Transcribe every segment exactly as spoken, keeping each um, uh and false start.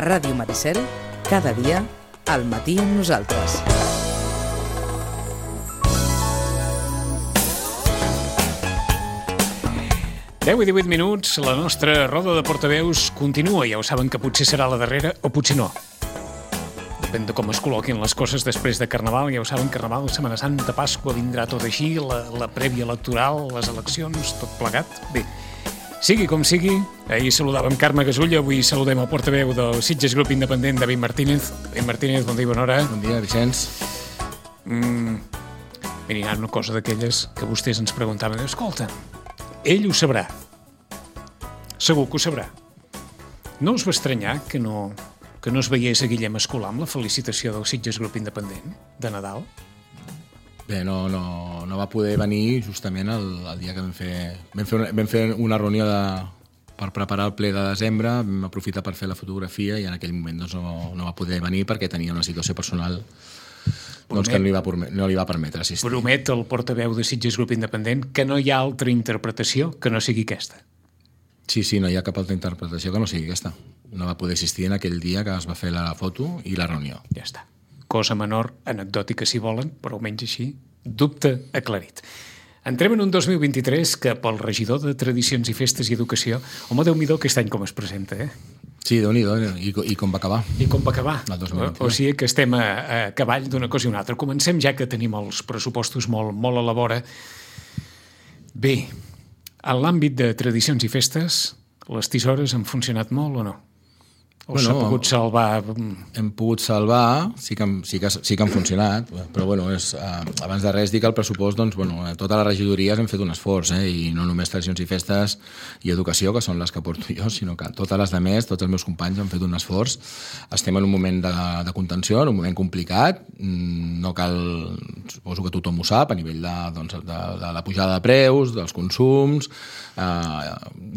Ràdio Maricel, cada dia, al matí amb nosaltres. deu i divuit minuts, la nostra roda de portaveus continua. Ja ho saben que potser serà la darrera o potser no. Depèn de com es col·loquin les coses després de Carnaval. Ja ho saben, Carnaval, Setmana Santa, Pasqua, vindrà tot així, la, la prèvia electoral, les eleccions, tot plegat. Bé, sigui com sigui, ahir saludàvem Carme Gasulla, avui saludem el portaveu del Sitges Grup Independent, David Martínez. David Martínez, bon dia, bona hora. Bon dia, Vicenç. Mm, mira, hi ha una cosa d'aquelles que vostès ens preguntaven. Escolta, ell ho sabrà. Segur que ho sabrà. No us va estranyar que no, que no es veiés a Guillem Escolà amb la felicitació del Sitges Grup Independent de Nadal? Bé, no, no, no va poder venir justament el, el dia que vam fer, vam fer, una, vam fer una reunió de, per preparar el ple de desembre, vam aprofitar per fer la fotografia i en aquell moment doncs, no, no va poder venir perquè tenia una situació personal doncs, que no li, va, no li va permetre assistir. Promet el portaveu de Sitges Grup Independent que no hi ha altra interpretació que no sigui aquesta. Sí, sí, no hi ha cap altra interpretació que no sigui aquesta. No va poder assistir en aquell dia que es va fer la foto i la reunió. Ja està. Cosa menor, anecdòtica si volen, però almenys així, dubte aclarit. Entrem en un dos mil vint-i-tres que pel regidor de Tradicions i Festes i Educació, home, Déu-n'hi-do aquest any com es presenta, eh? Sí, Déu-n'hi-do, i, i com va acabar. I com va acabar. El dos mil vint-i-tres. O sigui que estem a, a cavall d'una cosa i una altra. Comencem ja que tenim els pressupostos molt, molt a la vora. Bé, en l'àmbit de Tradicions i Festes, les tisores han funcionat molt o no? O bueno, s'ha pogut salvar? Hem pogut salvar, sí que, sí que, sí que han funcionat, però bueno, és, eh, abans de res dir que el pressupost, doncs, bueno, totes les regidories hem fet un esforç, eh, i no només Tradicions i Festes i Educació, que són les que porto jo, sinó que totes les demés, tots els meus companys han fet un esforç. Estem en un moment de, de contenció, en un moment complicat, no cal, suposo que tothom ho sap, a nivell de, doncs, de, de la pujada de preus, dels consums, eh,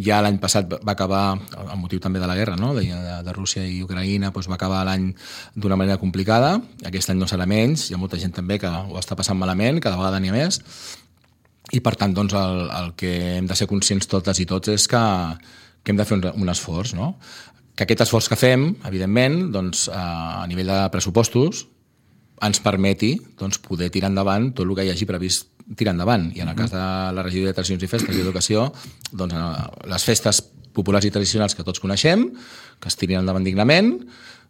ja l'any passat va acabar, el motiu també de la guerra, no?, de, de, de Rússia i Ucraïna, doncs va acabar l'any d'una manera complicada. Aquest any no serà menys, hi ha molta gent també que ho està passant malament, cada vegada n'hi ha més, i per tant doncs, el, el que hem de ser conscients totes i tots és que, que hem de fer un, un esforç, no? Que aquest esforç que fem, evidentment, doncs, a nivell de pressupostos, ens permeti doncs, poder tirar endavant tot el que hi hagi previst tirar endavant. I en el cas de la regidoria de Tradicions i Festes i Educació, doncs, les festes populars i tradicionals que tots coneixem, que es tirin endavant dignament,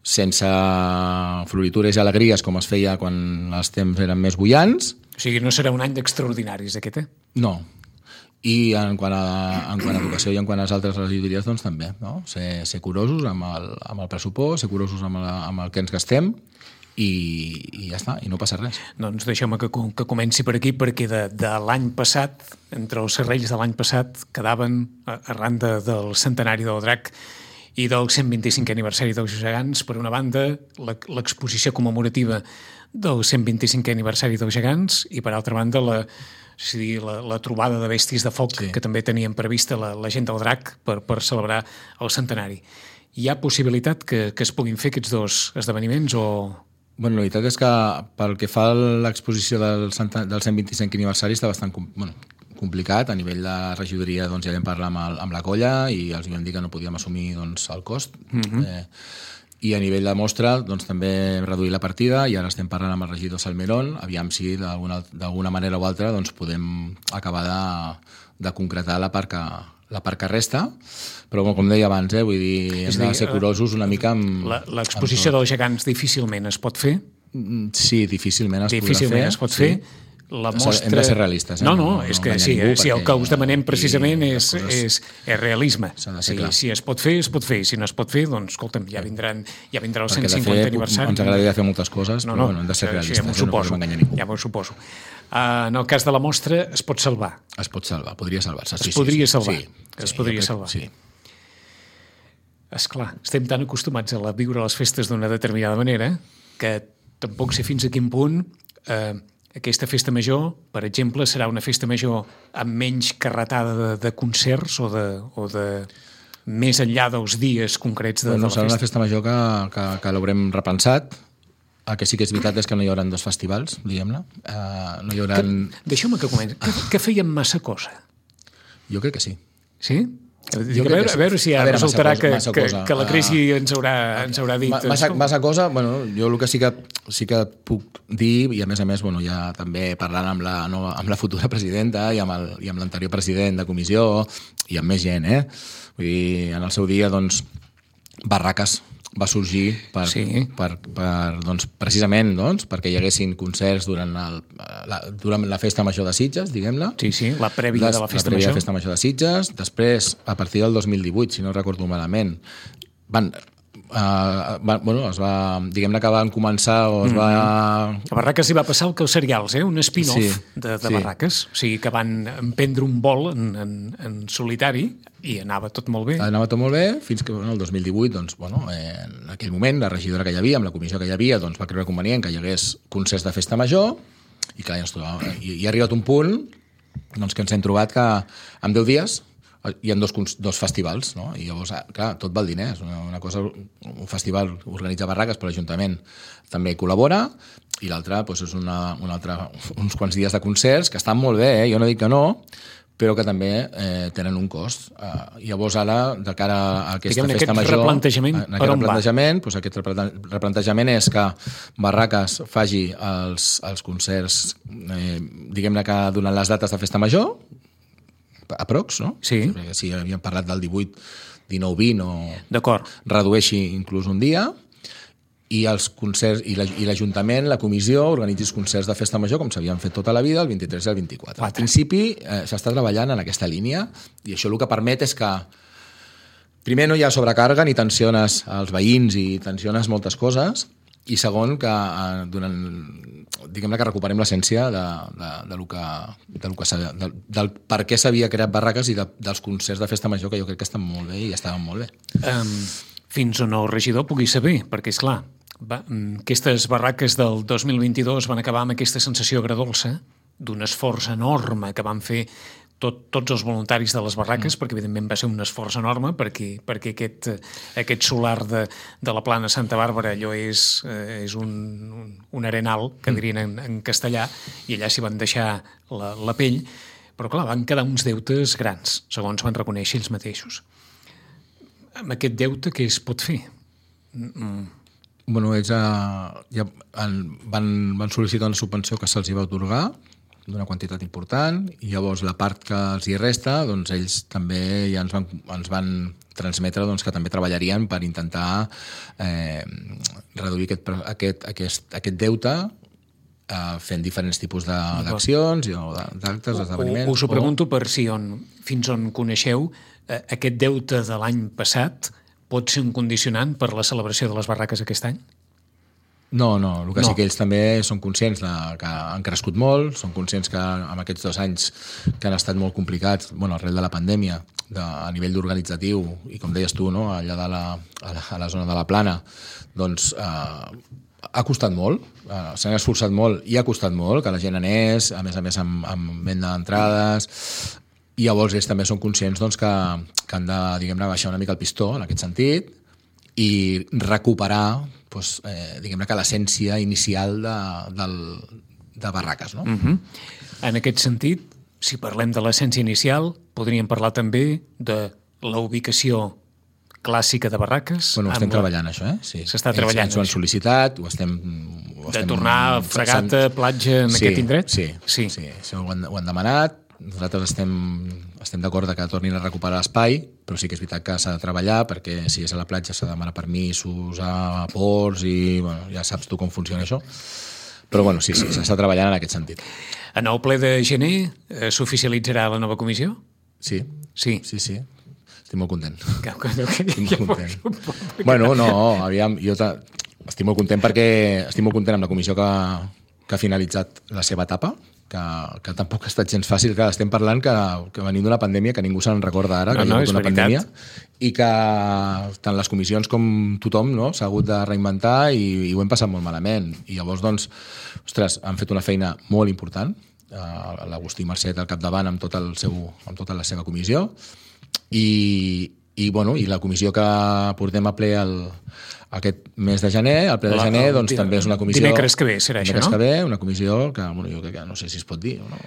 sense floritures i alegries com es feia quan els temps eren més bullants. O sigui, no serà un any d'extraordinaris, aquest, eh? No. I en quant a, en quant a educació i en quant a les altres regidories, doncs també, no? Ser, ser curosos amb el, amb el pressupost, ser curosos amb el, amb el que ens gastem, i, i ja està, i no passa res. Doncs deixeu-me que, que comenci per aquí, perquè de, de l'any passat, entre els serrells de l'any passat, quedaven, arran de, del centenari del Drac i del cent vint-i-cinquè aniversari dels gegants, per una banda, l'exposició commemorativa del cent vint-i-cinquè aniversari dels gegants, i per altra banda, la, és a dir, la, la trobada de bèsties de foc, sí, que també tenien prevista la, la gent del Drac per, per celebrar el centenari. Hi ha possibilitat que, que es puguin fer aquests dos esdeveniments o... Bueno, la veritat és que pel que fa a l'exposició del, del cent vint-i-cinquè aniversari està bastant bueno, complicat. A nivell de regidoria doncs, ja vam parlar amb, el, amb la colla i els vam dir que no podíem assumir doncs, el cost. Mm-hmm. eh, I a nivell de mostra doncs, també hem reduït la partida i ara estem parlant amb el regidor Salmerón, aviam si d'alguna manera o altra doncs, podem acabar de, de concretar la part que, la part que resta, però com deia abans, eh, vull dir, hem de ser curosos una mica amb... L'exposició dels gegants difícilment es pot fer? Sí, difícilment es difícilment podrà fer. es pot fer. Sí. La mostra... Hem de ser realistes. Eh? No, no, és que sí, sí, el que us demanem precisament és, és, és realisme. Sí, si es pot fer, es pot fer. Si no es pot fer, doncs, escolta'm, ja, vindran, ja vindrà el cent cinquantè aniversari. Ens agradaria fer moltes coses, no, però no, bueno, hem de ser realistes. Ja m'ho suposo. No ja m'ho suposo. Uh, en el cas de la mostra, es pot salvar? Es pot salvar, podria salvar-se. Es sí, podria sí, salvar? Sí, es sí, podria crec, salvar? Sí. Esclar, estem tan acostumats a viure les festes d'una determinada manera que tampoc sé fins a quin punt eh, aquesta festa major, per exemple, serà una festa major amb menys carretada de, de concerts o de, o de més enllà dels dies concrets de, bueno, de la festa. Serà una festa major que, que, que l'haurem repensat. El que sí que és veritat és que no hi haurà dos festivals, diguem-ne. Uh, no hi haurà... Deixeu-me que comenci. Que, que fèiem massa cosa? Jo crec que sí. Sí? Dic, a, veure, a veure si ja veure, resultarà massa cosa, que, massa que, que la crisi uh, ens, haurà, ens haurà dit... Massa, massa cosa, bueno, jo el que sí que, sí que puc dir, i a més a més, bueno, ja també parlant amb la, no, amb la futura presidenta i amb, el, i amb l'anterior president de comissió i amb més gent, eh? Vull dir, en el seu dia, doncs, Barraques va sorgir per, sí. per, per, doncs, precisament doncs, perquè hi haguessin concerts durant, el, la, durant la festa major de Sitges, diguem-la. Sí, sí, la prèvia Des, de la festa la major. La festa major de Sitges. Després, a partir del dos mil divuit, si no recordo malament, van... Uh, va, bueno, es va, diguem-ne que van començar o es mm. va... A Barraques hi va passar el que els serials, eh? Un spin-off sí, de, de sí. Barraques, o sigui que van emprendre un vol en, en, en solitari i anava tot molt bé. Anava tot molt bé, fins que bueno, el dos mil divuit, doncs, bueno, eh, en aquell moment, la regidora que hi havia, amb la comissió que hi havia, doncs, va creure convenient que hi hagués concerts de festa major i clar, ja, i, i ha arribat un punt doncs, que ens hem trobat que en deu dies hi ha dos, dos festivals, no? I llavors, clar, tot val diners. Una, una cosa, un festival organitza Barraques, però l'Ajuntament també col·labora, i l'altre doncs, és una, una altra, uns quants dies de concerts que estan molt bé, eh? Jo no dic que no, però que també eh, tenen un cost. Uh, llavors, ara, de cara a aquesta Diguem, festa aquest major... Replantejament, en aquest replantejament, doncs, aquest replantejament és que Barraques faci els, els concerts, eh, diguem-ne que durant les dates de festa major, aprox, no? Sí. Si havíem parlat del divuit, dinou, vint o... D'acord. Redueixi inclús un dia i els concerts i l'Ajuntament, la comissió, organitzi els concerts de festa major com s'havien fet tota la vida, el vint-i-tres i el vint-i-quatre. Al principi eh, s'està treballant en aquesta línia i això el que permet és que primer no hi ha sobrecàrrega ni tensiones als veïns i tensiones moltes coses i segon que eh, durant, diguem-ne que recuperem l'essència de, de, de lo que, de lo que de, del per què s'havia creat Barraques i de, dels concerts de festa major que jo crec que estan molt bé i estaven molt bé. Um, fins on el regidor pugui saber, perquè és clar, va, aquestes Barraques del dos mil vint-i-dos van acabar amb aquesta sensació agradolça d'un esforç enorme que van fer tot, tots els voluntaris de les Barraques, mm. perquè evidentment va ser un esforç enorme, perquè, perquè aquest, aquest solar de, de la plana Santa Bàrbara allò és, eh, és un, un, un arenal, que dirien en, en castellà, i allà s'hi van deixar la, la pell, però clar, van quedar uns deutes grans, segons van reconèixer ells mateixos. Amb aquest deute què es pot fer? Mm. Bueno, ells uh, ja van, van sol·licitar una subvenció que se'ls va atorgar, d'una quantitat important, i llavors la part que els hi resta, doncs ells també ja ens van, ens van transmetre doncs, que també treballarien per intentar eh, reduir aquest, aquest, aquest, aquest deute eh, fent diferents tipus d'accions o d'actes, esdeveniments. Us ho pregunto per si on, fins on coneixeu eh, aquest deute de l'any passat pot ser un condicionant per la celebració de les Barraques aquest any? No, no, el que no. sí que ells també són conscients de, que han crescut molt, són conscients que en aquests dos anys que han estat molt complicats, bueno, arrel de la pandèmia, de, a nivell organitzatiu, i com deies tu, no, allà de la, a, la, a la zona de la Plana, doncs eh, ha costat molt, eh, s'han esforçat molt i ha costat molt que la gent anés, a més a més amb, amb venda d'entrades, i llavors ells també són conscients doncs, que, que han de, diguem-ne, baixar una mica el pistó en aquest sentit i recuperar doncs, eh, diguem-ne que l'essència inicial de, del, de Barraques. No? Uh-huh. En aquest sentit, si parlem de l'essència inicial, podríem parlar també de la ubicació clàssica de Barraques. Bueno, estem la... treballant això, eh? Sí. S'està treballant. Ells ho han sol·licitat, ho estem... Ho de estem... tornar a fregata, platja en sí, aquest indret? Sí, sí, sí. sí. Ho, han, ho han demanat. Nosaltres estem, estem d'acord que tornin a recuperar l'espai, però sí que és veritat que s'ha de treballar perquè si és a la platja s'ha de demanar permisos a ports i bueno, ja saps tu com funciona això. Però bueno, sí, sí, s'està treballant en aquest sentit. En el ple de gener eh, s'oficialitzarà la nova comissió? Sí, sí, sí, sí. Estic molt content. Que, que, que, estic molt content. Bueno, no, aviam, jo estic molt content perquè estic molt content amb la comissió que, que ha finalitzat la seva etapa, que, que tampoc ha estat gens fàcil, que estem parlant que, que venim d'una pandèmia que ningú se'n recorda ara, no, que hi ha no, hagut una veritat. pandèmia, i que tant les comissions com tothom no, s'ha hagut de reinventar i, i ho hem passat molt malament. I llavors, doncs, ostres, han fet una feina molt important, uh, l'Agustí Marcet al capdavant amb, tot el seu, amb tota la seva comissió, i, i, bueno, i la comissió que portem a ple el, aquest mes de gener, el ple de gener, la, doncs també és una comissió... Dimecres que ve serà això, no? Dimecres que ve, una comissió que, bueno, jo crec que no sé si es pot dir o no.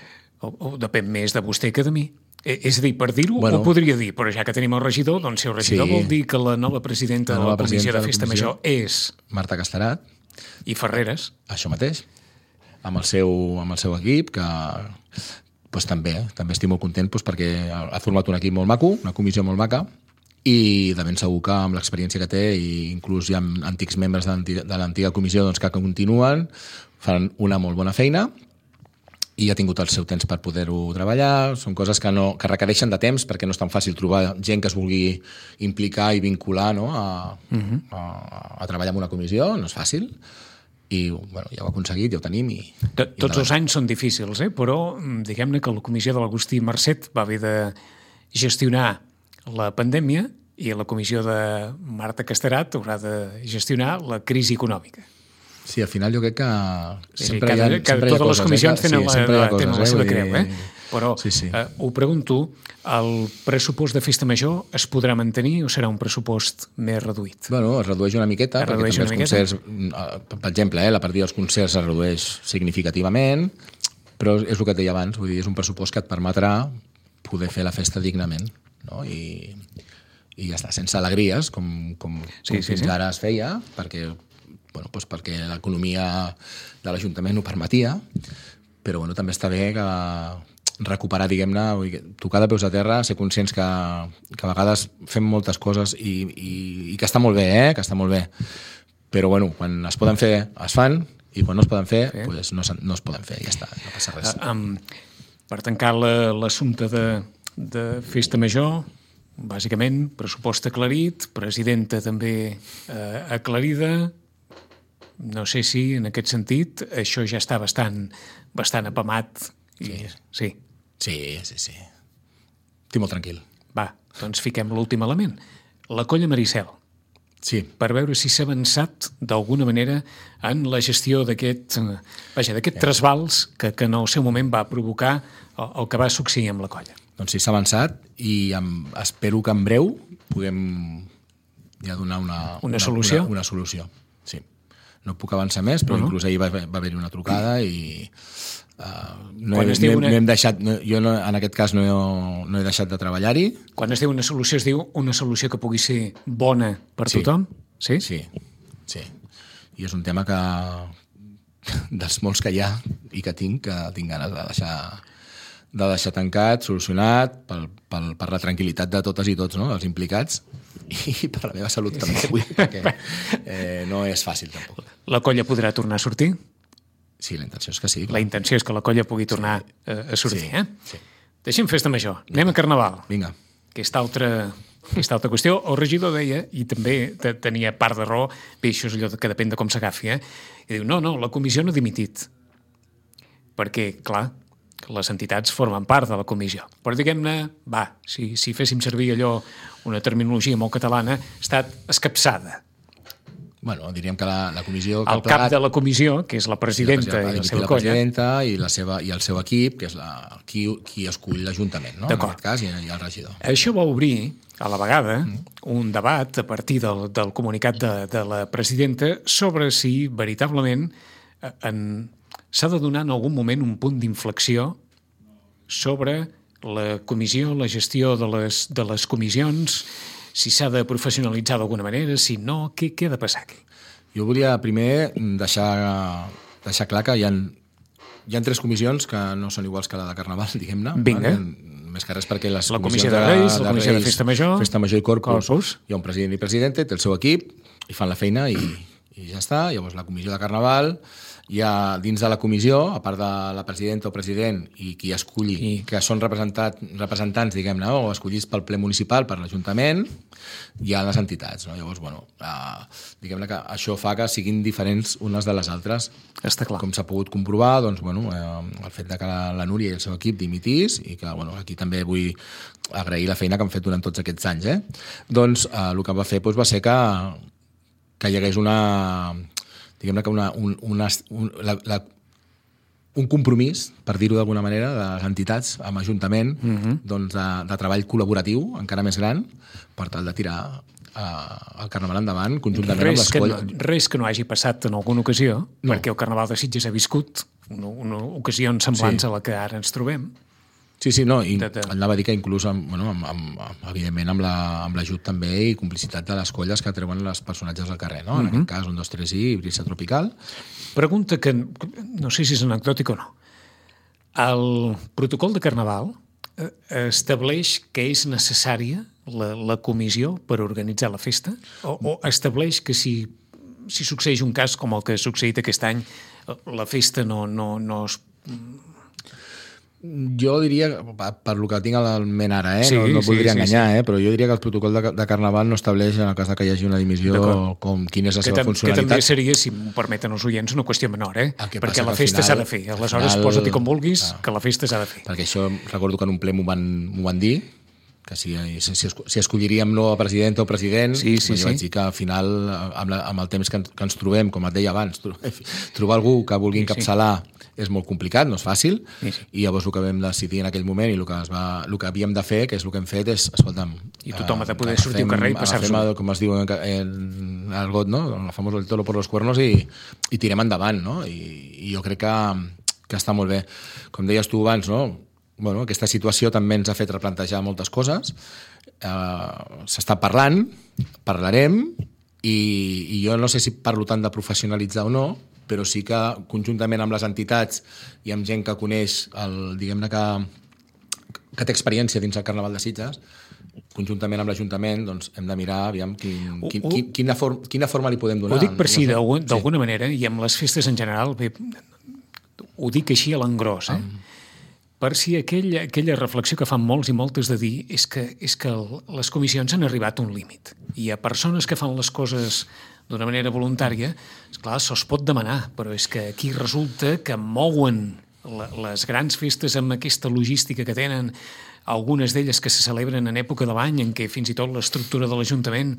O, o depèn més de vostè que de mi. És a dir, per dir-ho, bueno, ho podria dir, però ja que tenim el regidor, doncs si el regidor sí. vol dir que la nova presidenta la nova de la Comissió de Festa Major és... Marta Casterat. I Ferreres. Això mateix. Amb el seu, amb el seu equip, que pues, també, també estic molt content pues, perquè ha format un equip molt maco, una comissió molt maca, i de ben segur que amb l'experiència que té, i inclús hi ha antics membres de l'antiga comissió doncs, que continuen, fan una molt bona feina, i ha tingut el seu temps per poder-ho treballar. Són coses que, no, que requereixen de temps perquè no és tan fàcil trobar gent que es vulgui implicar i vincular no, a, uh-huh. a, a treballar en una comissió, no és fàcil. I bueno, ja ho ha aconseguit, ja ho tenim. I, Tot, i tots els anys són difícils, eh? Però diguem-ne que la comissió de l'Agustí Marcet va haver de gestionar la pandèmia i la comissió de Marta Casterat haurà de gestionar la crisi econòmica. Sí, al final jo crec que cada, sempre hi ha, cada, sempre hi ha totes coses. les comissions eh? tenen, sí, la, la, coses, tenen la seva eh? creu, eh? Però sí, sí. Eh, ho pregunto, el pressupost de Festa Major es podrà mantenir o serà un pressupost més reduït? Bueno, es redueix una miqueta, es perquè redueix també els concerts, per exemple, eh, la partida dels concerts es redueix significativament, però és el que et deia abans, vull dir, és un pressupost que et permetrà poder fer la festa dignament, no? I, i ja està, sense alegries, com, com, sí, com sí, fins sí. ara es feia, perquè bueno, doncs perquè l'economia de l'Ajuntament ho permetia, però bueno, també està bé que recuperar, diguem-ne, tocar de peus a terra, ser conscients que, que a vegades fem moltes coses i, i, i que està molt bé, eh? que està molt bé. Però bueno, quan es poden fer, es fan, i quan no es poden fer, sí. pues no, no es poden fer, ja està, no passa res. Uh, um, per tancar l'assumpte de, de Festa Major, bàsicament, pressupost aclarit, presidenta també uh, aclarida. No sé si, en aquest sentit, això ja està bastant, bastant apamat. I... Sí. Sí. Sí, sí, sí. Estic molt tranquil. Va, doncs fiquem l'últim element. La colla Maricel. Sí. Per veure si s'ha avançat d'alguna manera en la gestió d'aquest vaja, d'aquest trasbals que, que en el seu moment va provocar el, el que va succeir amb la colla. Doncs sí, s'ha avançat i em, espero que en breu puguem ja donar una, una, una solució. Una, una solució, sí. No puc avançar més, però uh-huh. inclús ahir va, va haver-hi una trucada i uh, no, he, no, una... no hem deixat, no, jo no, en aquest cas no he, no he deixat de treballar-hi. Quan es diu una solució, es diu una solució que pugui ser bona per sí. tothom? Sí? Sí, sí. I és un tema que dels molts que hi ha i que tinc, que tinc ganes de deixar, de deixar tancat, solucionat, pel, pel, per la tranquil·litat de totes i tots, no?, els implicats, i per la meva salut també, vull dir, perquè eh, no és fàcil tampoc. La colla podrà tornar a sortir? Sí, la intenció és que sí. Clar. La intenció és que la colla pugui tornar sí. a, a sortir, sí. eh? Sí. Deixem Festa Major, anem a Carnaval. Vinga. Aquesta altra, aquesta altra qüestió. El regidor deia, i també tenia part de raó, bé, això és allò que depèn de com s'agafi, eh? I diu, no, no, la comissió no ha dimitit. Perquè, clar, les entitats formen part de la comissió. Però diguem-ne, va, si, si féssim servir allò, una terminologia molt catalana, ha estat escapçada. Bueno, diríem que la, la comissió... El cap de la comissió, que és la presidenta sí, la i la seva la colla. presidenta i, la seva, i el seu equip, que és la, qui, qui escull l'Ajuntament, no? En aquest cas, i, i el regidor. Això va obrir, a la vegada, mm. un debat a partir del, del comunicat de, de la presidenta sobre si, veritablement, en, s'ha de donar en algun moment un punt d'inflexió sobre la comissió, la gestió de les, de les comissions, si s'ha de professionalitzar d'alguna manera, si no, què, què ha de passar aquí? Jo volia primer deixar, deixar clar que hi ha, hi ha tres comissions que no són iguals que la de Carnaval, diguem-ne. Vinga. Vale? Més que res perquè les la comissió de Reis, de, la comissió Reis, de Festa Major, Festa Major i Corpus, Corpus, hi ha un president i presidenta, té el seu equip, i fan la feina i, i ja està. Llavors la comissió de Carnaval, hi ha dins de la comissió, a part de la presidenta o president i qui esculli, I... que són representants, diguem-ne, o escollits pel ple municipal, per l'Ajuntament, hi ha les entitats, no? Llavors, bueno, eh, diguem-ne que això fa que siguin diferents unes de les altres. Està clar. Com s'ha pogut comprovar, doncs, bueno, eh, el fet de que la, la Núria i el seu equip dimitís, i que, bueno, aquí també vull agrair la feina que han fet durant tots aquests anys, eh? Doncs eh, el que va fer doncs, va ser que, que hi hagués una... diguem-ne que una, un, una, un, la, la, un compromís, per dir-ho d'alguna manera, de les entitats amb Ajuntament, mm-hmm. doncs de, de treball col·laboratiu encara més gran, per tal de tirar uh, el Carnaval endavant conjuntament res amb les colles. No, res que no hagi passat en alguna ocasió, no. Perquè el Carnaval de Sitges ha viscut una, una ocasions semblants sí. a la que ara ens trobem. Sí, sí, no, i de, de... anava a dir que inclús, amb, bueno, amb, amb, evidentment, amb la- amb l'ajut també i complicitat de les colles que treuen els personatges al carrer, no? En Mhm. aquest cas, un, dos, tres i Brisa Tropical. Pregunta que no sé si és anecdòtic o no. El protocol de Carnaval eh, estableix que és necessària la, la comissió per organitzar la festa? O, o estableix que si, si succeeix un cas com el que ha succeït aquest any, la festa no, no, no es... Jo diria, per per lo que tinc al ment ara, eh? Sí, no, no sí, voldria sí, enganyar, eh? Però jo diria que el protocol de, de Carnaval no estableix, en el cas de que hi hagi una dimissió, D'acord. com quina és la Que, seva tam que funcionalitat. també seria, si m'ho permeten els oients, una qüestió menor, eh? El que Perquè passa la que al festa s'ha final- de fer. al Aleshores, final- posa-t'hi com vulguis, Ah. que la festa s'ha de fer. Perquè això recordo que en un ple m'ho van, m'ho van dir, que si, si, si, esco- si escolliríem no a presidenta o president, Sí, sí, jo sí. vaig dir que al final, amb, la, amb el temps que, ens- que ens trobem, com et deia abans, tro- trobar algú que vulgui Sí, sí. encapçalar és molt complicat, no és fàcil, Sí, sí. i llavors el que vam decidir en aquell moment i el que, es va, el que havíem de fer, que és el que hem fet, és, escolta'm... I tothom ha de eh, poder sortir al agafem- carrer i passar-s'ho agafem bé. el- com es diu en, en el got, no? El famós el toro por los cuernos i, i tirem endavant, no? I, i jo crec que, que està molt bé. Com deies tu abans, no? Bueno, aquesta situació també ens ha fet replantejar moltes coses. Uh, S'està parlant, parlarem, i, i jo no sé si parlo tant de professionalitzar o no, però sí que conjuntament amb les entitats i amb gent que coneix, el, diguem-ne que, que té experiència dins el Carnaval de Sitges, conjuntament amb l'Ajuntament, doncs hem de mirar aviam quin, quin, Ho- ho- quin, quina, for, quina forma li podem donar. Ho dic per si, sé. d'algun- d'alguna manera, i amb les festes en general, bé, ho dic així a l'engròs, eh? Per si aquella, aquella reflexió que fan molts i moltes de dir és que, és que el, les comissions han arribat a un límit. I a persones que fan les coses d'una manera voluntària, esclar, se'ls pot demanar, però és que aquí resulta que mouen la, les grans festes amb aquesta logística que tenen, algunes d'elles que se celebren en època de l'any en què fins i tot l'estructura de l'Ajuntament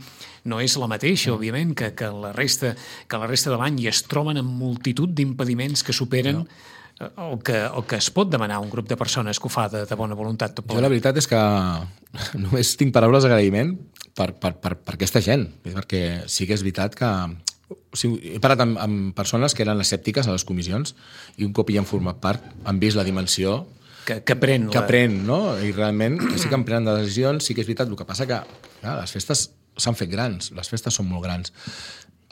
no és la mateixa, òbviament, que, que, la resta, que la resta de l'any i es troben amb multitud d'impediments que superen no. el, que, el que es pot demanar a un grup de persones que ho fa de, de bona voluntat. Tot Jo la veritat és que només tinc paraules d'agraïment per, per, per, per aquesta gent, perquè sí que és veritat que o sigui, he parlat amb, amb persones que eren escèptiques a les comissions i un cop hi han format part han vist la dimensió que, que pren. que la... pren, no? I realment que sí que en prenen de decisions, sí que és veritat, el que passa que clar, les festes s'han fet grans, les festes són molt grans.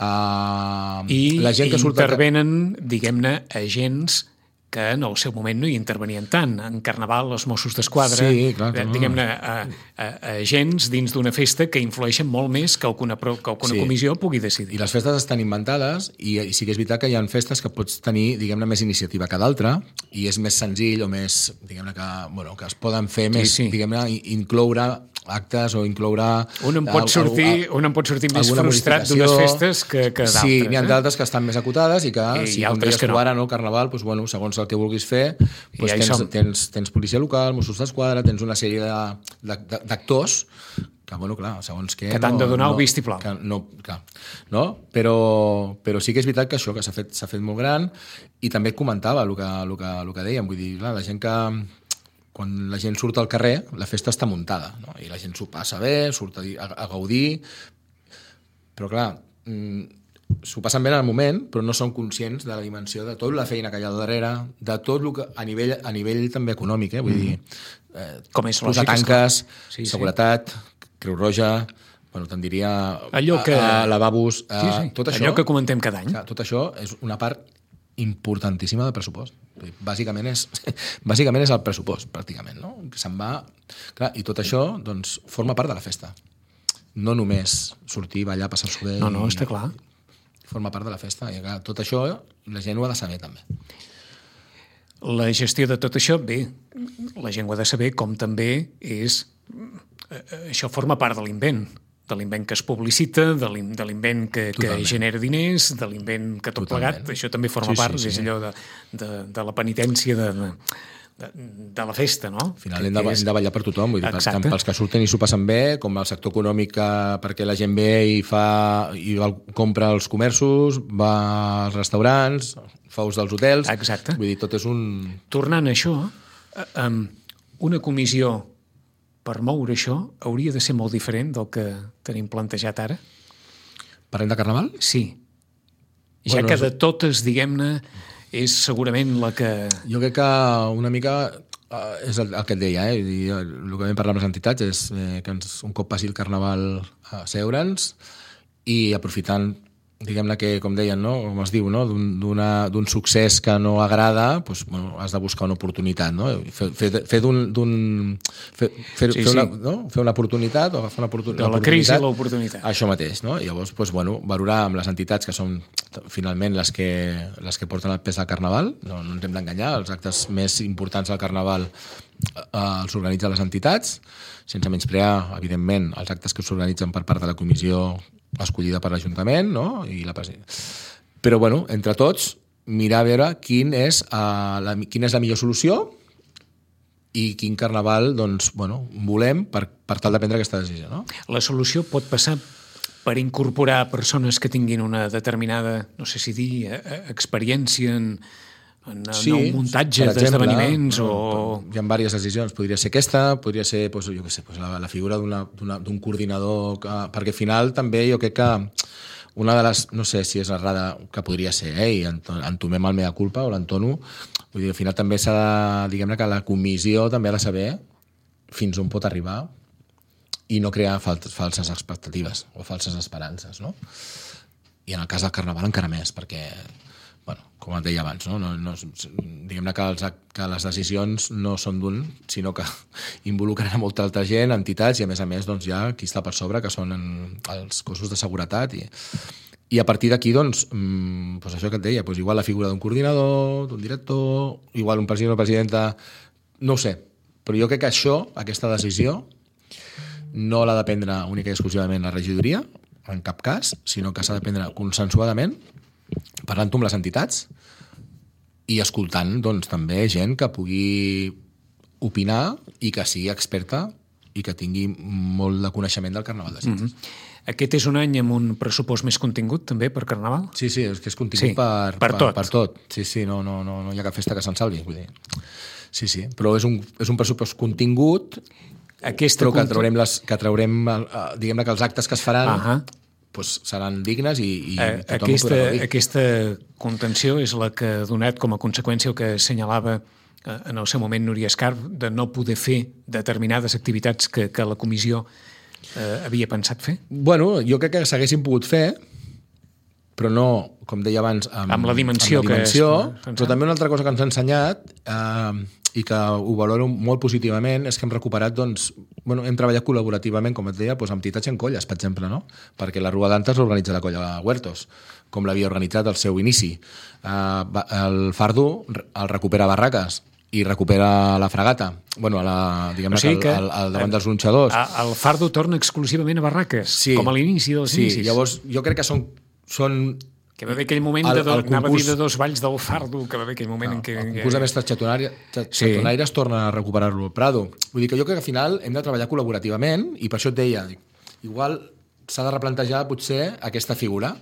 Uh, I la gent que surt intervenen, de... diguem-ne, agents que en el seu moment no hi intervenien tant. En Carnaval, els Mossos d'Esquadra, Sí, clar, clar. diguem-ne, a, a, a agents dins d'una festa que influeixen molt més que alguna, pro- que alguna Sí. comissió pugui I decidir. les festes estan inventades i, i sí que és veritat que hi ha festes que pots tenir, diguem-ne, més iniciativa que d'altra i és més senzill o més, diguem-ne, que, bueno, que es poden fer més, sí. diguem-ne, incloure actes o incloure... Un en pot sortir, un en pot sortir més alguna frustrat modificació. d'unes festes que, que d'altres. Sí, n'hi ha eh? d'altres que estan més acotades i que, I- si i com altres deies que tu no. ara, no, el Carnaval, doncs, bueno, segons el que vulguis fer, I doncs ja hi tens, som. tens, tens policia local, Mossos d'Esquadra, tens una sèrie de- de- de- d'actors que, bueno, clar, segons què... Que t'han de donar el vistiplau. Que no, clar, no? Però, però sí que és veritat que això, que s'ha fet, s'ha fet molt gran i també et comentava el que, el que, el que dèiem, vull dir, clar, la gent que quan la gent surt al carrer, la festa està muntada, no? I la gent s'ho passa bé, surt a, a, a gaudir, però clar, mm, s'ho passen bé en el moment, però no són conscients de la dimensió de tota la feina que hi ha al darrere, de tot el que, a nivell, a nivell també econòmic, eh? Vull dir, eh, Com és posar lògic, tanques, esclar. Sí, sí. seguretat, Creu Roja, bueno, te'n diria Allò que- a, a lavabos, a, Sí, sí. tot això, Allò que comentem cada any. clar, tot això és una part importantíssima del pressupost. Bàsicament és, bàsicament és el pressupost, pràcticament, no? Que se'n va... Clar, i tot això, doncs, forma part de la festa. No només sortir, ballar, passar-s'ho bé... No, no, i- està clar. Forma part de la festa. I clar, tot això la gent ho ha de saber, també. La gestió de tot això, bé, la gent ho ha de saber, com també és... eh, Això forma part de l'invent, de l'invent que es publicita, de l'in- de l'invent que, que Totalment. genera diners, de l'invent que tot Totalment. plegat, això també forma Sí, sí, part, sí. és allò de, de, de la penitència de, de, de la festa, no? Al final Que- hem de, que és- hem de ballar per tothom, vull dir, per- Exacte. tant pels que surten i s'ho passen bé, com el sector econòmic que, perquè la gent ve i fa i va, compra als comerços, va als restaurants, fa ús dels hotels... Exacte. Vull dir, tot és un... Tornant a això, eh, em, una comissió per moure això hauria de ser molt diferent del que tenim plantejat ara? Parlem de Carnaval? Sí. Ja Bueno, que és- de totes, diguem-ne, és segurament la que... Jo crec que una mica Uh, és el, el que et deia, eh? I el que vam parlar amb les entitats és eh, que ens, un cop passi el Carnaval a seure'ns i aprofitant, diguem-ne que, com deien, no? Com es diu, no? d'un succés que no agrada, doncs, bueno, has de buscar una oportunitat, no? Fer, fer, fer d'un... Fer, fer, sí, fer, una, sí. no? fer una oportunitat o agafar una oportunitat. De la crisi a l'oportunitat. Això mateix, no? I llavors, doncs, bueno, valorar amb les entitats que són finalment les que, les que porten el pes al Carnaval, no, no ens hem d'enganyar, els actes més importants del Carnaval eh, els organitzen les entitats, sense menysprear, evidentment, els actes que s'organitzen per part de la comissió escollida per l'Ajuntament, no? I la Però, bueno, entre tots, mirar a veure quin és, uh, la, quina és la millor solució i quin Carnaval doncs, bueno, volem per, per tal de prendre aquesta decisió. No? La solució pot passar per incorporar persones que tinguin una determinada, no sé si dir, experiència en, en, sí, en un muntatge d'esdeveniments o... Hi ha diverses decisions. Podria ser aquesta, podria ser doncs, jo què sé, doncs, la, la figura d'un coordinador, que, perquè al final també jo crec que una de les, no sé si és errada, que podria ser, eh, i entomem el mea culpa o l'entono, vull dir, al final també s'ha de, diguem-ne que la comissió també ha de saber fins on pot arribar i no crear falses expectatives o falses esperances, no? I en el cas del Carnaval encara més, perquè, bueno, com et deia abans, no? No, no, diguem-ne que, els, que les decisions no són d'un, sinó que involucren a molta altra gent, entitats, i a més a més doncs, hi ha qui està per sobre, que són en, els cossos de seguretat, i, i a partir d'aquí, doncs, mmm, doncs això que et deia, doncs igual la figura d'un coordinador, d'un director, igual un president o presidenta, no ho sé, però jo crec que això, aquesta decisió, no l'ha de prendre única i exclusivament la regidoria, en cap cas, sinó que s'ha de prendre consensuadament, parlant-ho amb les entitats i escoltant doncs, també gent que pugui opinar i que sigui experta i que tingui molt de coneixement del Carnaval de Sitges. Mm-hmm. Aquest és un any amb un pressupost més contingut també per Carnaval? Sí, sí, és que és contingut sí, per, per, per, tot. per tot. Sí, sí, no, no, no, no hi ha cap festa que se'n salvi. Vull dir. Sí, sí, però és un, és un pressupost contingut. Aquesta però que traurem, les, que traurem diguem-ne que els actes que es faran uh -huh. doncs seran dignes i, i eh, tothom aquesta, ho podrà gaudir. Aquesta contenció és la que ha donat com a conseqüència el que assenyalava en el seu moment Núria Escarp, de no poder fer determinades activitats que, que la comissió eh, havia pensat fer? Bueno, jo crec que s'haguessin pogut fer, però no, com deia abans, amb, amb la dimensió, amb la dimensió que és, però també una altra cosa que ens ha ensenyat eh, i que ho valoro molt positivament és que hem recuperat, doncs, bueno, hem treballat col·laborativament, com et deia, doncs, amb entitats i en colles, per exemple, no? Perquè la Rua d'Antes l'organitza la colla Huertos, com l'havia organitzat al seu inici. Eh, el Fardo el recupera Barraques i recupera la Fragata, bueno, a la, diguem-ne o sigui que, al, al davant dels gronxadors. El Fardo torna exclusivament a Barraques, sí, com a l'inici dels sí, inicis. Sí, llavors jo crec que són... són que va haver aquell moment, el, de do, el concurs, anava a dir de dos valls del Fardo, que va haver aquell moment no, en què... El concurs de mestres xatonaires sí. torna a recuperar-lo al Prado. Vull dir que jo crec que al final hem de treballar col·laborativament i per això et deia, igual s'ha de replantejar potser aquesta figura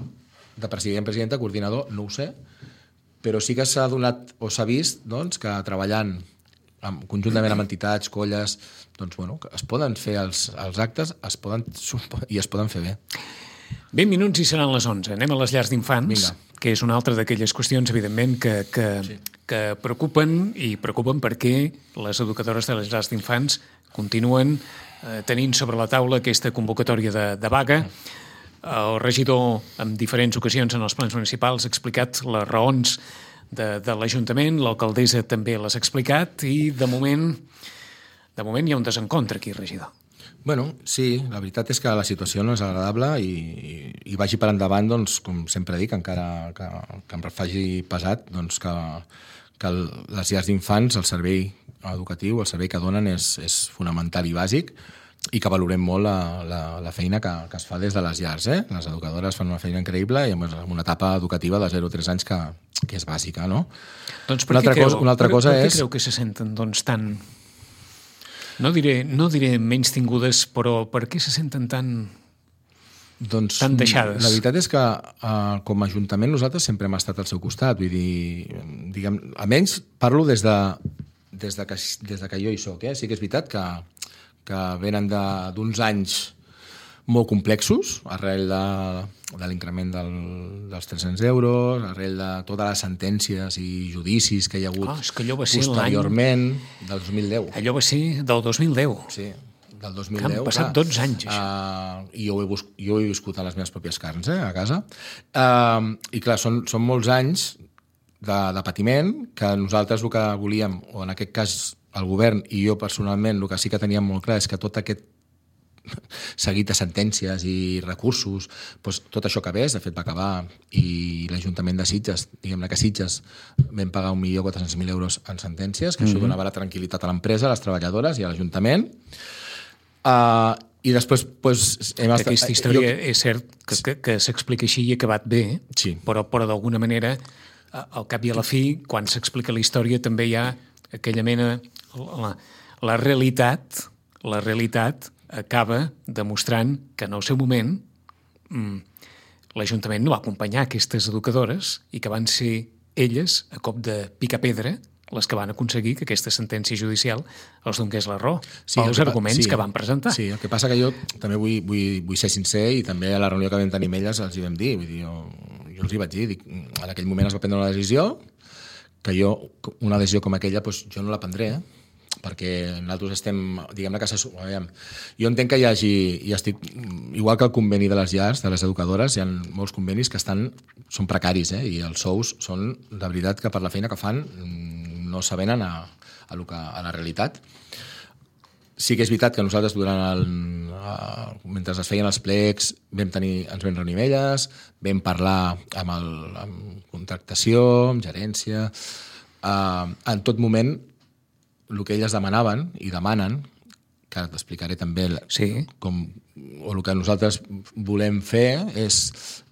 de president, presidenta, coordinador, no ho sé, però sí que s'ha donat o s'ha vist doncs, que treballant amb, conjuntament amb entitats, colles, doncs, bueno, que es poden fer els, els actes es poden, i es poden fer bé. vint minuts i seran les onze. Anem a les llars d'infants, que és una altra d'aquelles qüestions, evidentment, que, que, sí. que preocupen i preocupen perquè les educadores de les llars d'infants continuen eh, tenint sobre la taula aquesta convocatòria de, de vaga. El regidor, en diferents ocasions en els plans municipals, ha explicat les raons de, de l'Ajuntament, l'alcaldessa també les ha explicat i, de moment, de moment hi ha un desencontre aquí, regidor. Bueno, sí, la veritat és que la situació no és agradable i, i, i vagi per endavant, doncs, com sempre dic, encara que, que em faci pesat, doncs que, que el, les llars d'infants, el servei educatiu, el servei que donen és, és fonamental i bàsic i que valorem molt la, la, la feina que, que es fa des de les llars. Eh? Les educadores fan una feina increïble i amb una etapa educativa de zero a tres anys que, que és bàsica, no? Doncs per, què, creu, cosa, una altra per, cosa per què és... creu que se senten doncs, tan... No diré, no diré menys tingudes, però per què se senten tan, doncs, tan deixades? La veritat és que uh, com a Ajuntament nosaltres sempre hem estat al seu costat. Vull dir, diguem, almenys parlo des de, des de, que, des de que jo hi soc. Eh? Sí que és veritat que, que venen d'uns anys molt complexos, arrel de, de l'increment del, dels tres-cents euros, arrel de totes les sentències i judicis que hi ha hagut oh, és que allò va ser posteriorment, del dos mil deu. Allò va ser del dos mil deu. Sí, del dos mil deu. deu. Han passat clar, dotze anys, això. Uh, I jo ho, he bus- jo ho he viscut a les meves pròpies carns, eh, a casa. Uh, I clar, són, són molts anys de, de patiment que nosaltres el que volíem, o en aquest cas el govern i jo personalment, el que sí que teníem molt clar és que tot aquest seguit de sentències i recursos, doncs tot això acabés, de fet va acabar, i l'Ajuntament de Sitges, diguem-ne que Sitges vam pagar un milió quatre-cents mil euros en sentències, que mm-hmm. això donava la tranquil·litat a l'empresa, a les treballadores i a l'Ajuntament. Uh, I després, doncs... Hem estat, Aquesta història jo... és cert que, que, que s'explica així i ha acabat bé, sí. però, però d'alguna manera, al cap i a la fi, quan s'explica la història, també hi ha aquella mena... La, la realitat, la realitat acaba demostrant que en el seu moment mmm, l'Ajuntament no va acompanyar aquestes educadores i que van ser elles, a cop de picar-pedra, les que van aconseguir que aquesta sentència judicial els donés la raó sí, pels arguments sí, que van presentar. Sí, el que passa que jo també vull, vull, vull ser sincer i també a la reunió que vam tenir amb elles els hi vam dir, vull dir jo, jo els hi vaig dir, dic, en aquell moment es va prendre una decisió que jo, una decisió com aquella, doncs jo no la prendré, eh? Perquè nosaltres estem, diguem-ne que s'assumem. Jo entenc que hi hagi, i estic, igual que el conveni de les llars, de les educadores, hi ha molts convenis que estan, són precaris, eh? I els sous són, de veritat, que per la feina que fan no s'avenen a, a, lo que, a la realitat. Sí que és veritat que nosaltres, durant el, mentre es feien els plecs, vam tenir, ens vam reunir amb elles, vam parlar amb, el, amb contractació, amb gerència, eh, en tot moment el que elles demanaven i demanen, que ara t'explicaré també sí. com, o el que nosaltres volem fer és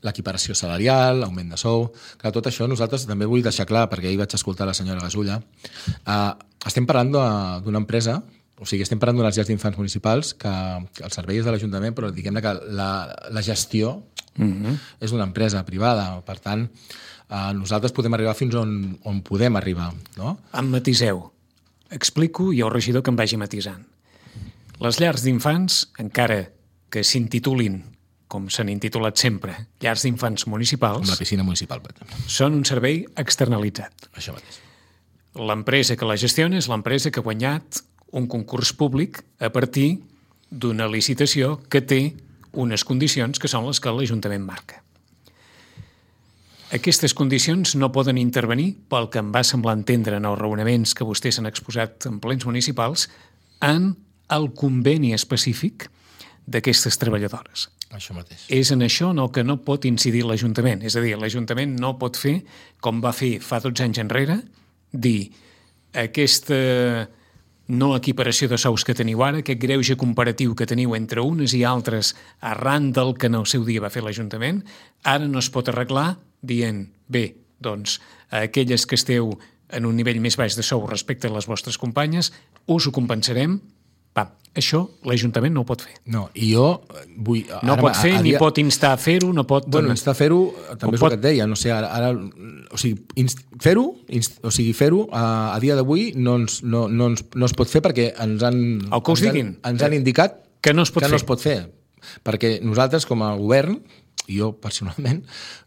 l'equiparació salarial, l'augment de sou. Clar, tot això nosaltres també vull deixar clar, perquè ahir vaig escoltar la senyora Gasulla. Uh, estem parlant d'una empresa, o sigui, estem parlant d'unes llars d'infants municipals que, que el servei és de l'Ajuntament, però diguem-ne que la, la gestió mm-hmm. és d'una empresa privada. Per tant, uh, nosaltres podem arribar fins on, on podem arribar. No? Em matiseu. Explico i el regidor que em vagi matisant. Les llars d'infants, encara que s'intitulin, com s'han intitulat sempre, llars d'infants municipals... Com la piscina municipal, per exemple. Són un servei externalitzat. Això mateix. L'empresa que la gestiona és l'empresa que ha guanyat un concurs públic a partir d'una licitació que té unes condicions que són les que l'Ajuntament marca. Aquestes condicions no poden intervenir, pel que em va semblar entendre en els raonaments que vostès han exposat en plens municipals, en el conveni específic d'aquestes treballadores. Això mateix. És en això en el que no pot incidir l'Ajuntament. És a dir, l'Ajuntament no pot fer, com va fer fa dotze anys enrere, dir aquesta no equiparació de sous que teniu ara, aquest greuge comparatiu que teniu entre unes i altres arran del que en el seu dia va fer l'Ajuntament, ara no es pot arreglar dient, bé, doncs, a aquelles que esteu en un nivell més baix de sou respecte a les vostres companyes, us ho compensarem. Va, això l'Ajuntament no ho pot fer. No, i jo vull... No ara, pot fer, a, a dia... ni pot instar a fer-ho, no pot... Bueno, instar a fer-ho, també és pot... el que et deia, no sé, ara... ara o sigui, inst... fer-ho, inst... o sigui, fer-ho, a, a dia d'avui no, ens, no, no, ens, no es pot fer perquè ens han... El que us ens diguin. Han, ens han indicat que no es pot que fer. no es pot fer. Perquè nosaltres, com a govern, i jo personalment,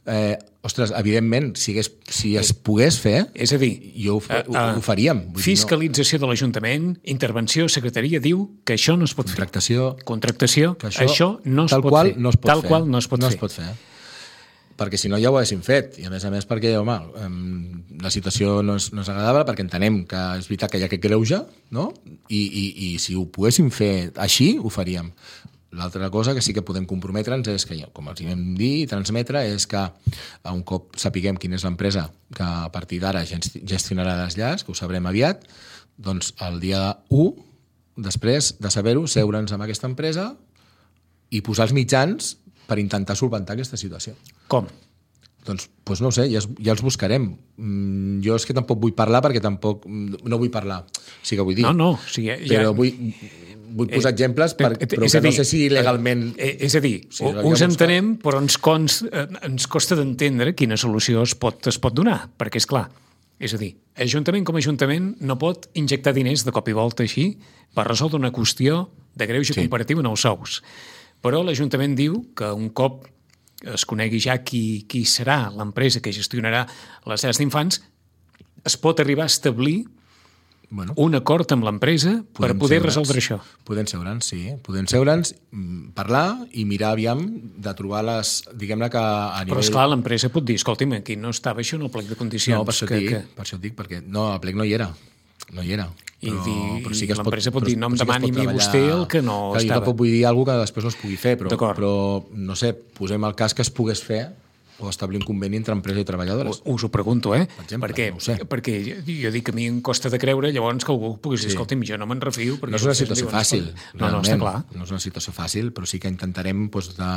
eh, ostres, evidentment, si, hagués, si es pogués fer, és a dir, jo ho, uh, uh, ho faríem. Vull fiscalització dir, no. de l'Ajuntament, intervenció, secretaria, diu que això no es pot Contractació, fer. Contractació. Que això, això no es tal pot qual fer. No es pot tal fer. qual no es pot no fer. Es pot fer. Perquè si no ja ho haguéssim fet. I a més a més perquè, home, la situació no és, no és agradable, perquè entenem que és veritat que hi ha aquest greuge, no? I, i, i si ho poguéssim fer així, ho faríem. L'altra cosa que sí que podem comprometre'ns és que, com els vam dir i transmetre, és que un cop sapiguem quina és l'empresa que a partir d'ara gestionarà les llars, que ho sabrem aviat, doncs el dia u, després de saber-ho, seure'ns amb aquesta empresa i posar els mitjans per intentar solventar aquesta situació. Com? Doncs, doncs no ho sé, ja, ja els buscarem. Mm, jo és que tampoc vull parlar perquè tampoc... No vull parlar, sí que vull dir. No, no. O sigui, ja... Però vull... Vull posar eh, exemples, per, però que dir, no sé si legalment... Eh, és a dir, si us entenem, però ens, cons, eh, ens costa d'entendre quina solució es pot, es pot donar, perquè és clar. És a dir, Ajuntament com a Ajuntament no pot injectar diners de cop i volta així per resoldre una qüestió de greuge sí. comparatiu en els sous. però l'Ajuntament diu que un cop es conegui ja qui, qui serà l'empresa que gestionarà les llars d'infants, es pot arribar a establir bueno, un acord amb l'empresa per poder resoldre això. Podem seure'ns, sí. Podem seure'ns, parlar i mirar aviam de trobar les... Diguem-ne que a nivell... Però, esclar, l'empresa pot dir, escolti'm, aquí no estava això en el plec de condicions. No, per això, que, dic, que... per això et dic, perquè no, el plec no hi era. No hi era. I, però, dir, però sí que l'empresa pot, pot dir, no em demani a mi vostè el que no clar, estava. Jo tampoc vull dir alguna cosa que després no es pugui fer, però, però no sé, posem el cas que es pogués fer o establir un conveni entre empresa i treballadores. Us ho pregunto, eh? Per exemple, perquè, no ho sé. Perquè jo dic que a mi em costa de creure, llavors que algú pogués dir, sí. escolta'm, jo no me'n refio. No és una situació diuen, fàcil, no, no, està clar. No és una situació fàcil, però sí que intentarem doncs, de,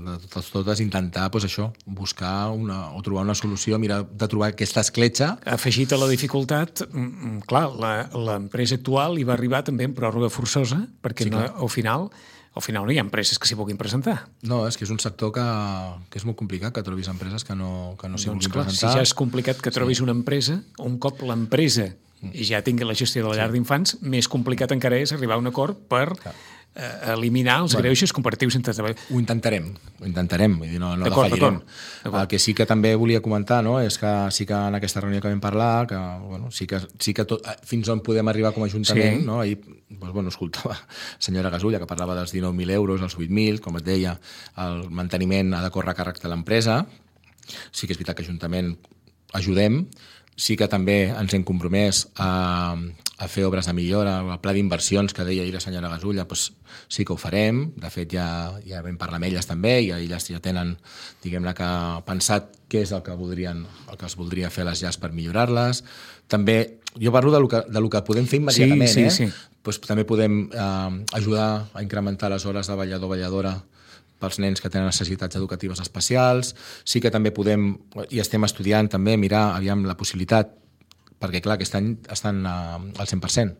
de totes, totes intentar doncs, això, buscar una, o trobar una solució, mirar de trobar aquesta escletxa. Afegit a la dificultat, clar, l'empresa actual hi va arribar també en pròrroga forçosa, perquè sí, no, al final... Al final no hi ha empreses que s'hi vulguin presentar. No, és que és un sector que, que és molt complicat que trobis empreses que no, que no s'hi doncs vulguin clar, presentar. Si ja és complicat que trobis sí. una empresa, un cop l'empresa ja tingui la gestió de la llar sí. d'infants, més complicat encara és arribar a un acord per clar. eh, eliminar els bueno, greuges comparatius entre treballadors. Ho intentarem, ho intentarem, vull dir, no, no defallirem. El que sí que també volia comentar, no, és que sí que en aquesta reunió que vam parlar, que bueno, sí que, sí que tot, fins on podem arribar com a Ajuntament, sí. no? Ahir doncs, bueno, escoltava la senyora Gasulla que parlava dels dinou mil euros, els vuit mil, com et deia, el manteniment ha de córrer a càrrec de l'empresa. Sí que és veritat que Ajuntament ajudem, sí que també ens hem compromès a, a fer obres de millora, el pla d'inversions que deia ahir la senyora Gasulla, doncs sí que ho farem. De fet, ja, ja vam parlar amb elles també i elles ja tenen, diguem-ne, que pensat què és el que voldrien, el que es voldria fer a les llars per millorar-les. També, jo parlo de lo que, de lo que podem fer immediatament, sí, sí, eh? Sí. Pues també podem eh, ajudar a incrementar les hores de ballador o balladora pels nens que tenen necessitats educatives especials. Sí que també podem, i estem estudiant també, mirar aviam la possibilitat, perquè clar, aquest any estan al cent per cent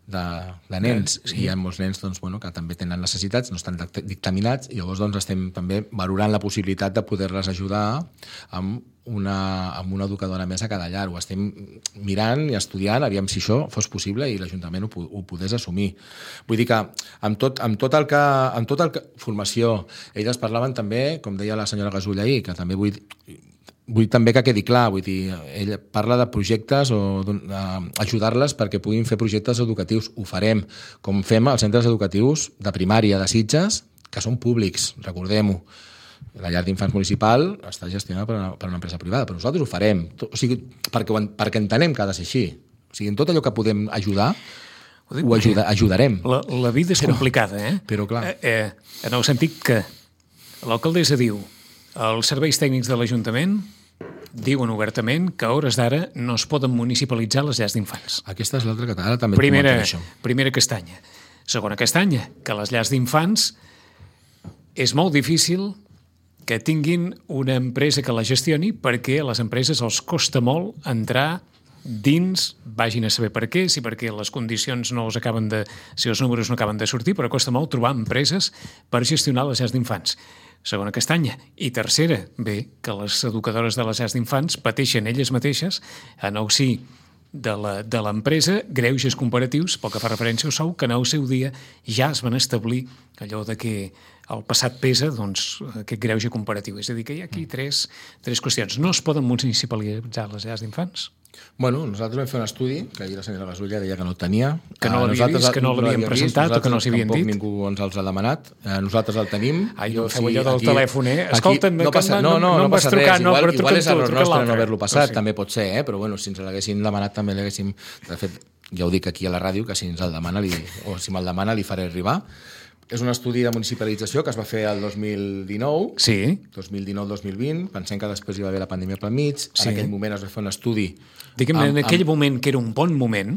de, de nens, sí. I hi ha molts nens doncs, bueno, que també tenen necessitats, no estan dictaminats, i llavors doncs, estem també valorant la possibilitat de poder-les ajudar amb una, amb una educadora més a cada llar. Ho estem mirant i estudiant, aviam si això fos possible i l'Ajuntament ho, ho podés assumir. Vull dir que amb tot, amb tot el que... Amb tot el que formació, elles parlaven també, com deia la senyora Gasulla ahir, que també vull... Vull també que quedi clar, vull dir, ella parla de projectes o ajudar-les perquè puguin fer projectes educatius. Ho farem, com fem als centres educatius de primària de Sitges, que són públics, recordem-ho. La llar d'infants municipal està gestionada per una, per una empresa privada, però nosaltres ho farem, o sigui, perquè, perquè entenem que ha de ser així. O sigui, en tot allò que podem ajudar, ho, dic, ho ajuda, ajudarem. La, la vida és però, complicada, eh? Però, clar... Eh, eh, en el sentit que l'alcaldessa diu els serveis tècnics de l'Ajuntament diuen obertament que a hores d'ara no es poden municipalitzar les llars d'infants. Aquesta és l'altra que ara també primera, et això. Primera castanya. Segona castanya, que les llars d'infants és molt difícil que tinguin una empresa que la gestioni perquè a les empreses els costa molt entrar dins, vagin a saber per què, si perquè les condicions no els acaben de... si els números no acaben de sortir, però costa molt trobar empreses per gestionar les llars d'infants. Segona castanya. I tercera, bé, que les educadores de les llars d'infants pateixen elles mateixes en el si de l'empresa greuges comparatius, pel que fa referència al sou, que en el seu dia ja es van establir allò de que el passat pesa, doncs, aquest greuge comparatiu. És a dir, que hi ha aquí tres, tres qüestions. No es poden municipalitzar les llars d'infants? Bueno, nosaltres vam fer un estudi, que ahir la senyora Gasulla deia que no el tenia. Que no l'havia vist, que no l'havien presentat o que no s'havien dit. Ningú ens els ha demanat. Nosaltres el tenim. Ah, jo feu allò del telèfon, eh? Escolta'm, no passa, no, no, no passa res. Igual, igual és error nostre no haver-lo passat, sí. També pot ser, eh? Però bueno, si ens l'haguessin demanat també l'haguéssim... De fet, ja ho dic aquí a la ràdio, que si ens el demana, li, o si me'l demana, li faré arribar. És un estudi de municipalització que es va fer el dos mil dinou, sí. dos mil dinou dos mil vint, pensem que després hi va haver la pandèmia pel mig, sí. En aquell moment es va fer un estudi... Diguem-ne, en aquell amb... moment, que era un bon moment,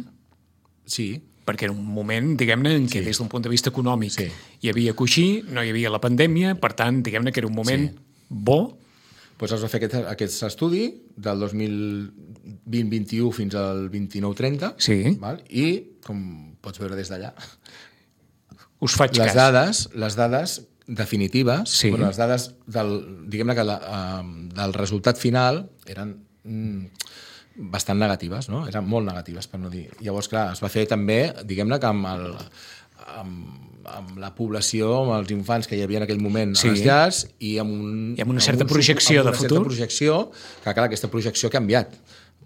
sí. Perquè era un moment, diguem-ne, en què sí. Des d'un punt de vista econòmic sí. Hi havia coixí, no hi havia la pandèmia, per tant, diguem-ne que era un moment sí. Bo. Pues es va fer aquest, aquest estudi del dos mil vint vint-i-u fins al vint-i-nou trenta, sí. Val? I, com pots veure des d'allà... Us faig les cas. Dades, les dades definitives, sí. Bueno, les dades del, diguem-ne que la, uh, del resultat final eren mm, bastant negatives, no? Eren molt negatives, per no dir. Llavors, clar, es va fer també, diguem-ne que amb el, amb, amb la població, amb els infants que hi havia en aquell moment sí. a les llars, i amb, un, I amb una certa amb un, projecció amb de una futur. Certa projecció, que clar, aquesta projecció ha canviat.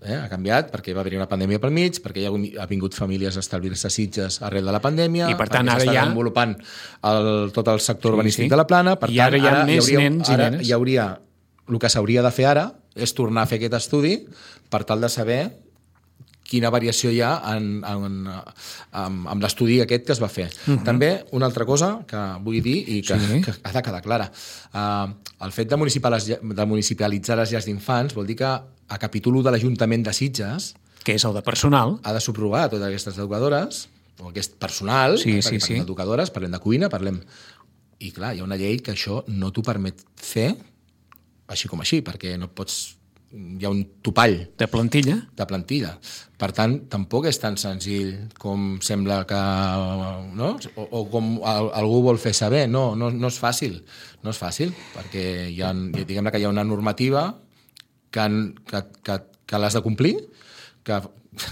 Eh? Ha canviat perquè va haver una pandèmia pel mig, perquè hi ha, ha vingut famílies a establir-se a Sitges arrel de la pandèmia, i per tant ara s'està ja... desenvolupant el, tot el sector sí, urbanístic sí. de la Plana. Per I tant, ara hi ha ara més hi hauria, nens i ara nenes. Hi hauria, el que s'hauria de fer ara és tornar a fer aquest estudi per tal de saber quina variació hi ha en, en, en, en l'estudi aquest que es va fer. Uh-huh. També una altra cosa que vull dir i que, sí. que ha de quedar clara. Uh, el fet de, de municipalitzar les llars d'infants vol dir que a capítol u de l'Ajuntament de Sitges, que és el de personal, ha de subrogar totes aquestes educadores, o aquest personal, sí, eh, sí, perquè sí. parlem d'educadores, parlem de cuina, parlem... I clar, hi ha una llei que això no t'ho permet fer així com així, perquè no pots... Hi ha un topall de plantilla. de plantilla. Per tant, tampoc és tan senzill com sembla que... No? O, o com algú vol fer saber. No, no, no és fàcil. No és fàcil, perquè hi ha, diguem que hi ha una normativa que, que, que, que l'has de complir, que,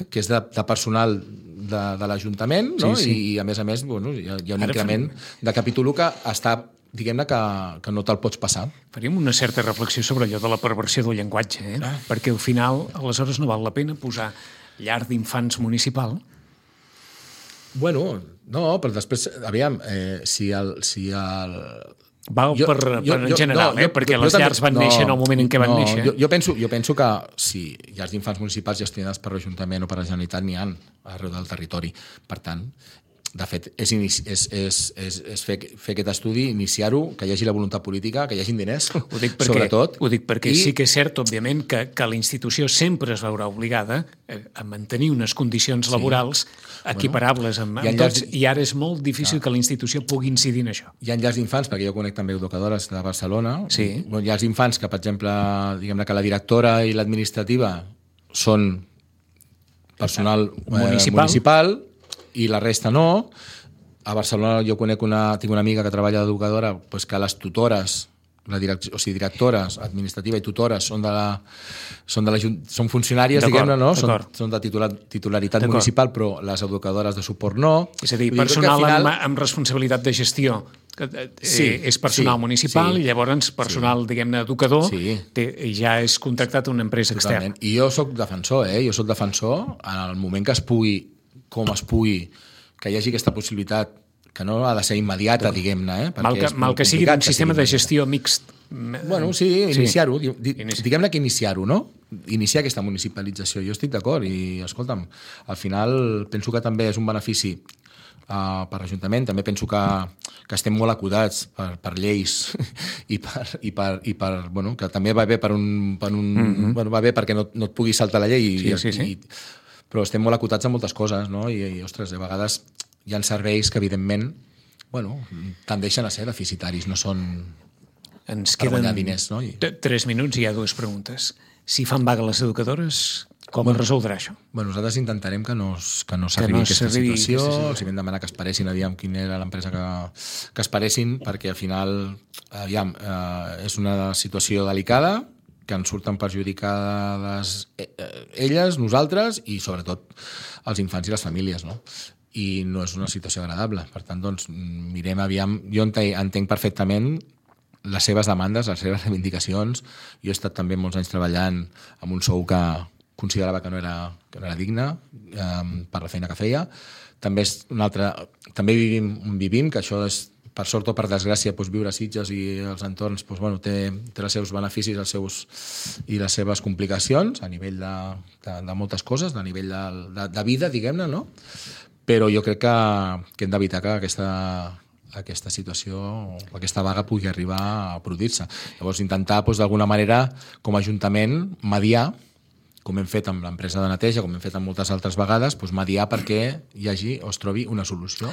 que és de, de personal de, de l'Ajuntament, no? Sí, sí. I, I a més a més bueno, hi ha, hi ha un Ara increment fem... de capítol que està... diguem-ne que, que no te'l pots passar. Faríem una certa reflexió sobre allò de la perversió del llenguatge, eh? Ah. Perquè al final, aleshores, no val la pena posar llar d'infants municipal. Bueno, no, però després, aviam, eh, si el... Si el... Val jo, per, jo, per en general, no, eh? Jo, perquè jo, les jo llars van no, néixer en el moment en què van no, néixer. Jo, jo, penso, jo penso que si llars d'infants municipals gestionades per l'Ajuntament o per la Generalitat n'hi ha arreu del territori. Per tant, de fet, és, és, és, és, és fer, fer aquest estudi, iniciar-ho, que hi hagi la voluntat política, que hi hagin diners, ho dic perquè, sobretot. Ho dic perquè I... sí que és cert, òbviament, que, que la institució sempre es veurà obligada a mantenir unes condicions sí. laborals equiparables amb, amb tots, llars... i ara és molt difícil ah. que la institució pugui incidir en això. Hi ha llars d'infants, perquè jo conec també educadores de Barcelona, sí. hi ha llars d'infants que, per exemple, diguem-ne que la directora i l'administrativa són personal municipal, eh, municipal i la resta no. A Barcelona jo conec una, tinc una amiga que treballa d'educadora, pues que les tutores, la direc o sigui, directores, administrativa i tutores són de la, són, de la, són funcionàries, diguem-ne, no? Són, són de titular, titularitat municipal, però les educadores de suport no. És a dir, personal final... amb, amb responsabilitat de gestió, que eh, sí, és personal sí, municipal sí, i llavors personal, sí. diguem-ne, educador, sí. té, ja és contractat a una empresa Totalment. externa. I jo sóc defensor, eh? Jo sóc defensor en el moment que es pugui com es pugui, que hi hagi aquesta possibilitat, que no ha de ser immediata, diguem-ne. Eh? Mal que, mal que sigui un sistema de gestió mixt. Bueno, sí, iniciar-ho. Sí. Diguem-ne que iniciar-ho, no? Iniciar aquesta municipalització. Jo estic d'acord i, escolta'm, al final penso que també és un benefici uh, per l'Ajuntament. També penso que, que estem molt acudats per, per lleis i, per, i, per, i per... Bueno, que també va bé per un... Per un mm-hmm. bueno, va bé perquè no, no et pugui saltar la llei. Sí, i, sí, sí. I, però estem molt acotats en moltes coses, no? I, i ostres, a vegades hi ha serveis que, evidentment, bueno, tendeixen a ser deficitaris, no són Ens per guanyar queden diners, no? I... tres minuts i hi ha dues preguntes. Si fan vaga les educadores, com bueno, es resoldrà això? Bueno, nosaltres intentarem que no, que no s'arribi no aquesta situació, els vam demanar que esperessin, aviam quina era l'empresa que, que esperessin, perquè al final, aviam, eh, és una situació delicada, que ens surten perjudicades elles, nosaltres i sobretot els infants i les famílies, no? I no és una situació agradable. Per tant, doncs, mirem aviam... Jo entenc perfectament les seves demandes, les seves reivindicacions. Jo he estat també molts anys treballant amb un sou que considerava que no era, que no era digne eh, per la feina que feia. També és una altra... També vivim, vivim que això és per sort o per desgràcia, doncs, viure a Sitges i els entorns doncs, bueno, té, té els seus beneficis els seus, i les seves complicacions a nivell de, de, de moltes coses, a nivell de, de, de vida, diguem-ne, no? Però jo crec que, que hem d'evitar que aquesta, aquesta situació, aquesta vaga pugui arribar a produir-se. Llavors, intentar, doncs, d'alguna manera, com a Ajuntament, mediar, com hem fet amb l'empresa de neteja, com hem fet amb moltes altres vegades, doncs, mediar perquè hi hagi o es trobi una solució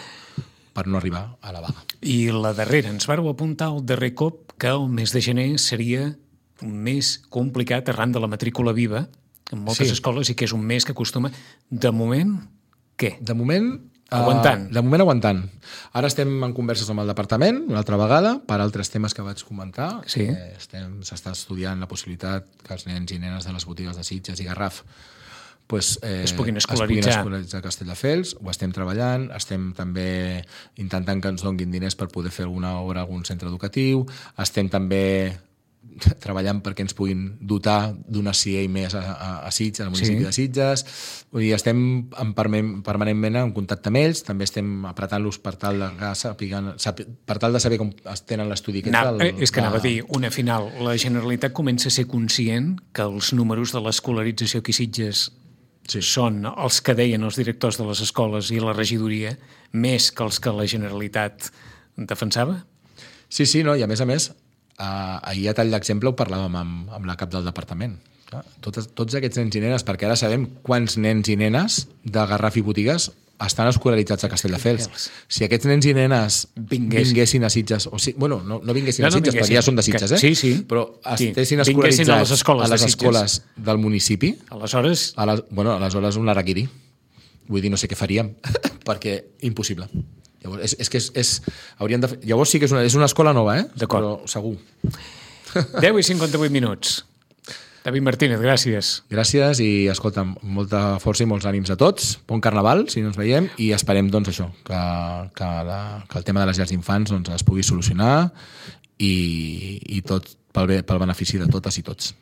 per no arribar a la vaga. I la darrera, ens vàreu apuntar al darrer cop que el mes de gener seria un mes complicat arran de la matrícula viva en moltes sí. escoles i que és un mes que acostuma, de moment, què? De moment... Aguantant. Uh, de moment aguantant. Ara estem en converses amb el departament, una altra vegada, per altres temes que vaig comentar. Sí. Eh, estem, s'està estudiant la possibilitat que els nens i nenes de les botigues de Sitges i Garraf pues, eh, es puguin es puguin escolaritzar. escolaritzar a Castelldefels. Ho estem treballant, estem també intentant que ens donguin diners per poder fer alguna obra a algun centre educatiu, estem també treballant perquè ens puguin dotar d'una C I A més a, a, a Sitges, al municipi Sí. de Sitges. Vull dir, estem en permanent, permanentment en contacte amb ells, també estem apretant-los per tal de, que sàpiguen, sàpi, per tal de saber com es tenen l'estudi aquest. Na, del, és que anava a dir, una final, la Generalitat comença a ser conscient que els números de l'escolarització aquí a Sitges sí. són els que deien els directors de les escoles i la regidoria, més que els que la Generalitat defensava? Sí, sí, no? I a més a més, Uh, ahir a tall d'exemple ho parlàvem amb, amb la cap del departament. Clar, tots, tots aquests nens i nenes, perquè ara sabem quants nens i nenes de Garraf i Botigues estan escolaritzats a Castelldefels. Si aquests nens i nenes vinguessin, vinguessin a Sitges, o si, bueno, no, no vinguessin no, no a Sitges, vinguessin, perquè ja són de Sitges, eh? Sí, sí. Però estessin sí. escolaritzats a les escoles, a les de escoles del municipi, aleshores... A les, bueno, aleshores un araquiri. Vull dir, no sé què faríem, perquè impossible. Llavors, és, és que és, és, hauríem de fer... Llavors sí que és una, és una escola nova, eh? D'acord. Però segur. deu i cinquanta-vuit minuts. David Martínez, gràcies. Gràcies i, escolta, molta força i molts ànims a tots. Bon carnaval, si no ens veiem, i esperem, doncs, això, que, que, la, que el tema de les llars d'infants doncs, es pugui solucionar i, i tot pel, bé, pel benefici de totes i tots.